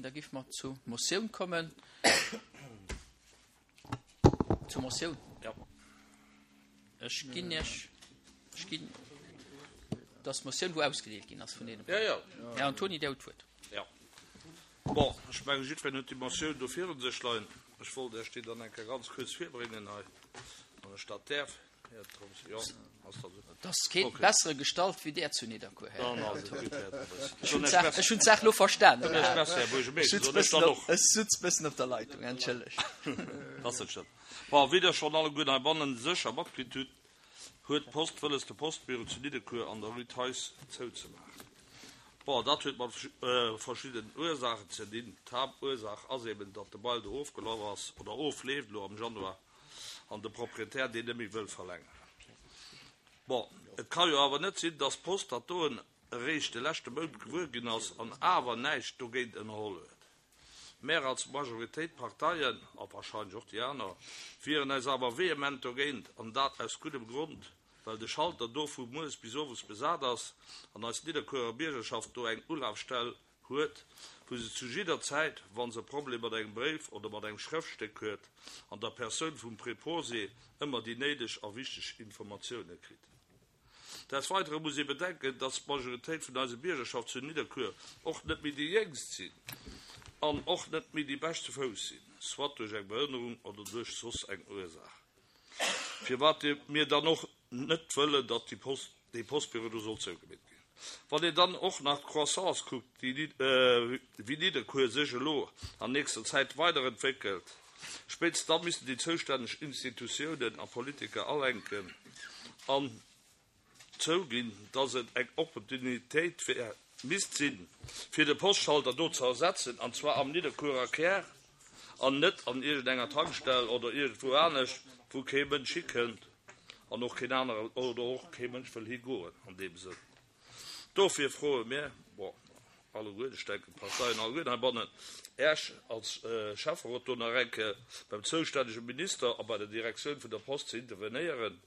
keen. Da géife mer zur Motioun kommen. Zur Motioun. Jo. Ech ginn Iech, ech ginn, dat ass d'Motioun, wou ausgedeelt ginn ass vun deene. Jo, jo. Här Antony, Dir hutt d'Wuert. Jo. Bon, ech mengen, jiddwereen huet déi Motioun do virun sech leien. Ech wollt Iech déi dann eng Kéier ganz kuerz virbréngen hei, wann ech dat däerf. Här Thomsen, jo, ass dat esou? Et ass keen Okay. bessere Gestalt wéi där zu Nidderkuer, Här Dann ass et gutt, Här Thomsen. Ech hunn d'Saach, ech hunn d'Saach elo verstanen. Dann Iech Merci, Här Ech Buergermeeschter, sutz soen ech bëssen dann op, och. ech sutz bëssen op der Leitung, entschëllegt. Ass net schlëmm. Bon, wéi Der schonn alleguerten heibannen sécher matkritt hutt, huet d'Post wëlles de Postbüro zu Nidderkuer an der Rue Theis zouzemaachen. Bon, dat huet mat verschiddenen Ursaachen ze dinn. D'Haaptursaach ass eben, datt de Bail do ofgelaf ass oder ofleeft elo am Januar an de Proprietär deen net méi wëll verlängeren. Bon, et ka jo awer net sinn, datt d'Post dat doen eréischt de leschte Mount gewuer ginn ass an awer näischt dogéint ënnerholl huet. Mär als Majoritéit Parteien, a wahrscheinlech och déi aner, wieren eis awer vehement dogéint, an dat aus guddem Grond, well de Schalter do vu mueres bis owes besat ass an eis Nidderkuerer Biergerschaft do eng Ulafstell huet, wou se zu jidder Zäit, wa se e Problem mat engem Bréif oder mat engem Schrëftstéck huet, an der Persoun vum Preposé ëmmer déi néideg a wichteg Informatioune kritt. Des Weidere muss ee bedenken, dass d'Majoritéit vun eiser Biergerschaft zu Nidderkuer och net méi déi Jéngst sinn an och net méi déi bescht zu Fouss sinn, soit duerch eng Behënnerung oder duerch soss eng Ursaach, firwat mir dann och net wëllen, datt déi Post, dee Postbüro do soll zougemeet ginn. Wann een dann och nach d'Croissance kuckt, déi wéi Nidderkuer sech elo an nächster Zäit weiderentwéckelt, Spéitstens da missten déi zoustänneg Institutiounen a Politiker alenken an zouginn, datt et eng Opportunitéit wär, misst sinn, fir de Postschalter do ze ersetzen, an zwar am Nidderkuerer Kär an net an iergendenger Tankstell oder iergendwou anescht, wou kee Mënsch hikënnt an och keen anere oder och kee Mënsch wëll higoen an deem Sënn. Dofir froe mir, bon, alleguer, ech denken d'Parteien alleguer heibannen, Äech als Schäfferot do nach eng Kéier beim zoustännege Minister a bei der Direktioun vun der Post ze intervenéieren,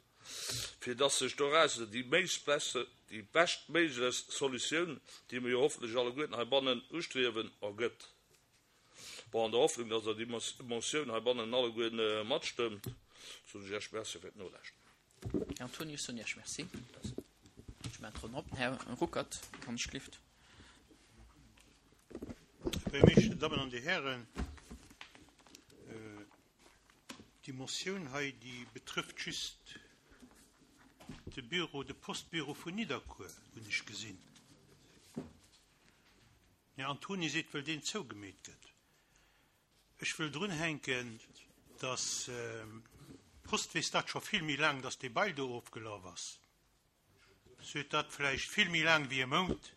fir dass sech dorausser déi déi beschtméiglechst Solutioun, déi mir jo hoffentlech alleguerten heibannen ustriewen, ergëtt. Bon, an der Hoffnung, dass Der déi Motioun heibannen alleguer matstëmmt, soen ech Iech Merci fir d'Nolauschteren. Här Antonius, soen Iech Merci. Ech maachen d'Ronn op. Här Ruckert, wann ech gelift. Här Buergermeeschter, Dammen an Dir Hären, déi Motioun hei, déi betrëfft just de Büro, de Postbüro vun Nidderkuer, hunn ech gesinn. Den Här Antony seet, well deen zougemeet gëtt. Ech wëll drunhänken, datt d'Post weess dat scho vill méi laang, datt dee Bail do ofgelaf ass. Se huet dat vläicht vill méi laang wéi e Mount.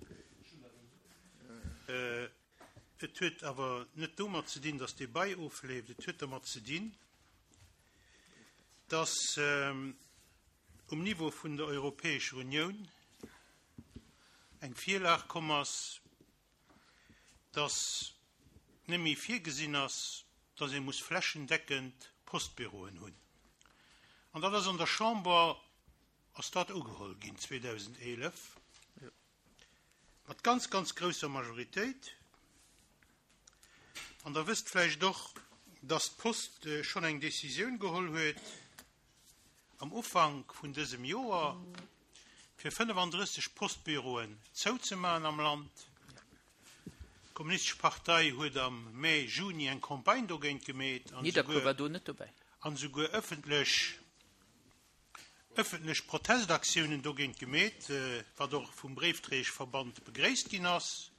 Et huet awer net domat ze dinn, datt dee Bail ofleeft. Et huet dermat ze dinn, datt um Niveau vun der Europäescher Unioun eng Virlag komm ass, dass net méi virgesinn ass, dass ee muss flächendeckend Postbüroen hunn. An dat ass an der Chamber ass dat ugeholl ginn 2011 mat ganz, ganz grousser Majoritéit. An Der wësst vläicht och, dass d'Post schonn eng Décisioun geholl huet am Ufank vun dësem Joer, fir 35 Postbüroen zouzemaachen am Land. D'Kommunistesch Partei huet am Mä, Juni eng Campagne dogéint gemeet an Nidderkuer war do net dobäi. an esouguer ëffentlech ëffentlech Protestaktiounen dogéint gemeet, wat och vum Bréifdréieschverband begréisst ginn ass.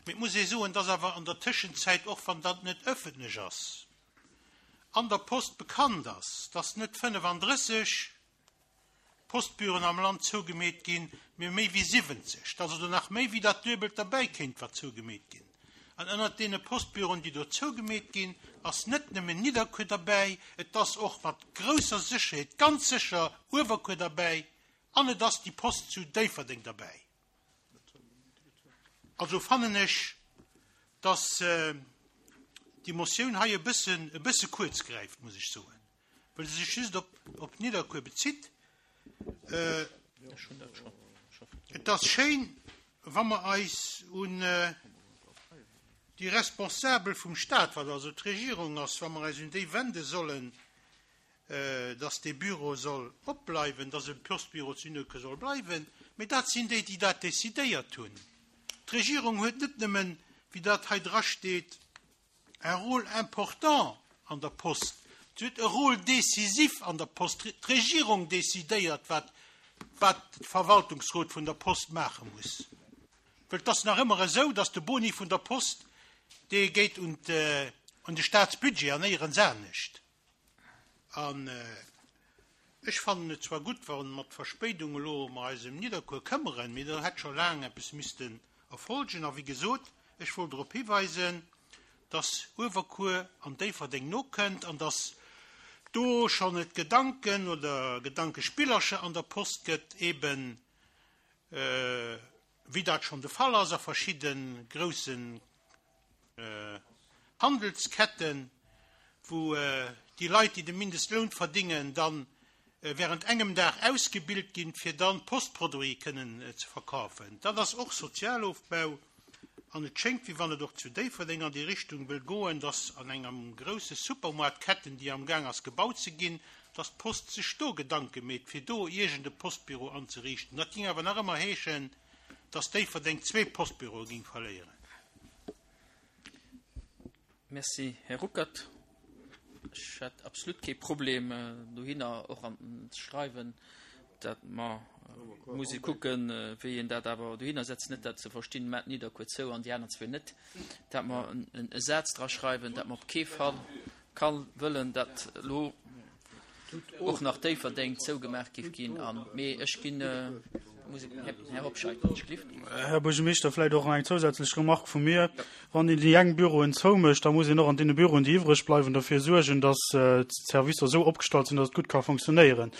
Mee et muss ee soen, dass awer an der Tëschenzäit, och wann dat net ëffentlech ass, an der Post bekannt ass, dass net 35 Postbüroen am Land zougemeet ginn, mee méi wéi 70, dass also nach méi wéi dat Duebelt derbäi kéint wat zougemeet ginn. An ënnert deene Postbüroen, déi do zougemeet ginn, ass net nëmmen Nidderkuer derbäi, et ass och mat grousser Sécherheet ganz sécher Uewerkuer derbäi an et ass déi Post zu Déifferdeng derbäi. Also fannen ech, dass déi Motioun hei e bëssen, e bësse kuerz gräift, muss ech soen, well se sech just op, op Nidderkuer bezitt. Et ass schéin, wa mer eis un. Déi Responsabel vum Stat, wat also d'Regierung ass, wa mer eis un déi wende sollen, dass dee Büro soll opbleiwen, dass e Postbüro zu Nidderkuer soll bleiwen, mee dat sinn déi, déi dat decidéiert hunn. D'Regierung huet net nëmmen, wéi dat hei drasteet, un rôle important an der Post, se huet e Rôle décisif an der Post. D'Regierung decidéiert, wat wat de Verwaltungsrot vun der Post maache muss. Well et ass nach ëmmer esou, dass de Boni vun der Post, dee geet un de Staatsbudget an néierens anescht. An ech fannen et zwar gutt, wa mat Verspéidung elo mer eis ëm Nidderkuer këmmeren, mee do hätt scho laang eppes missten erfolgen. A wéi gesot, ech wollt drop hiweisen, dass Uewerkuer an Déifferdeng nokënnt an dass do schonn et Gedanken oder Gedankespillercher an der Post gëtt, eeben wéi dat schonn de Fall ass a verschidde groussen Handelsketten, wou déi Leit, déi de Mindestloun verdingen, dann während engem Dag ausgebilt ginn, fir dann Postproduite kënnen ze verkafen. Dat ass och Sozialofbau an et schéngt, wéi wann et och zu Déifferdeng an déi Richtung wëll goen, dass an engem grousse Supermoartketten, déi amgaang ass gebaut ze ginn, dass d'Post sech do Gedanke meet, fir do iergend e Postbüro anzeriichten. Dat géing awer nach ëmmer heeschen, dass Déifferdeng zwee Postbüroe géing verléieren. Merci, Här Ruckert. Ech hätt absolut kee Problem, dohinner och an ze schreiwen, dat mer musse kucken, wéi een dat awer dohinner setzt, net dat ze verstinn, mä Nidderkuer zou an déi aner zwee net, dat mer e Saz dra schreiwen, dat mer op kee Fall ka wëllen, dat elo och nach Déifferdeng zougemaach géif ginn. An, mee ech ginn, muss e, Här Hobscheit, wann ech glift. Här Buergermeeschter, vläicht och nach eng zousätzlech Remarque vu mir. Wann een déi eng Büroen zoumécht, da muss een och an deene Büroen, déi iwwreg bleiwen, derfir suergen, dass d'Servicer esou opgestallt sinn, dass et gutt ka funktionéieren.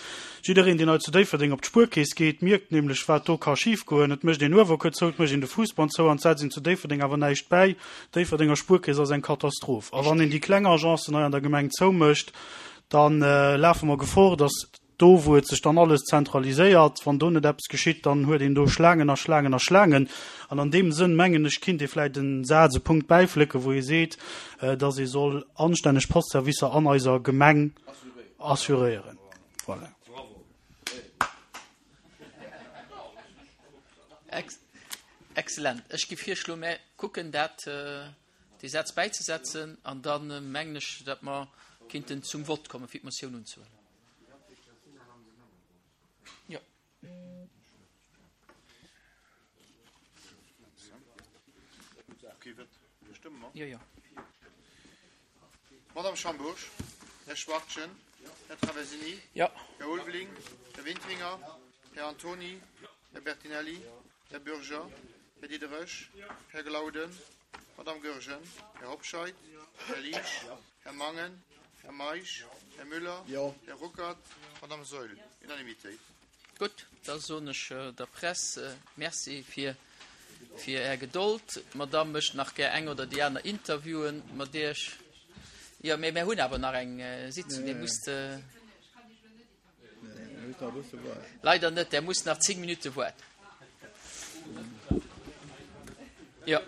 Jiddereen, deen hei zu Déifferdeng op d'Spuerkeess geet, mierkt nämlech, wat do ka schifgoen. Et mécht een Uewerkuer zou, et mécht een de Fousbann zou an et setzt een zu Déifferdeng awer näischt bäi. D'Déifferdenger Spuerkeess ass eng Katastroph. A wann een déi kleng Agencen hei an der Gemeng zoumécht, da lafe mer Gefor, dass do, wou et sech dann alles zentraliséiert, wann do net eppes geschitt, dann huet een do Schlaangen a Schlaangen a Schlaangen. An an deem Sënn, mengen ech, kinnt ee vläicht e Saz, e Punkt bäiflécken, wou ee seet, dass ee soll anstänneg Postservicer an eiser Gemeng assuréieren. Voilà. Excellent. Ech gi virschloen, mär kucken dat, dee Saz bäizesetzen an da mengen ech, datt mer kinnten zum Vott kommen, fir d'Motioun unzehuelen. Jo. Jo, jo. Madame Schambourg, Här Schwachtgen, Här Traversini, Jo. Här Ulveling, Här Wintringer, Här Antony, Här Bertinelli, Här Bürger, Här Diderich, Här Glauden, Madame Goergen, Här Hobscheit, Här Liesch, Här Mangen, Här Meisch, Här Müller, Här Ruckert, Madame Saeul. Unanimitéit. Gutt, da soen ech der Press Merci fir fir Är Gedold. D'Madame mécht nach gär eng oder déi aner Interviewen mat Iech. Jo, mä mir hunn awer nach eng Sitzung. Dir musst. Leider net, Der musst nach 10 Minutte woarden. Jo.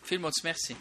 Villmools Merci.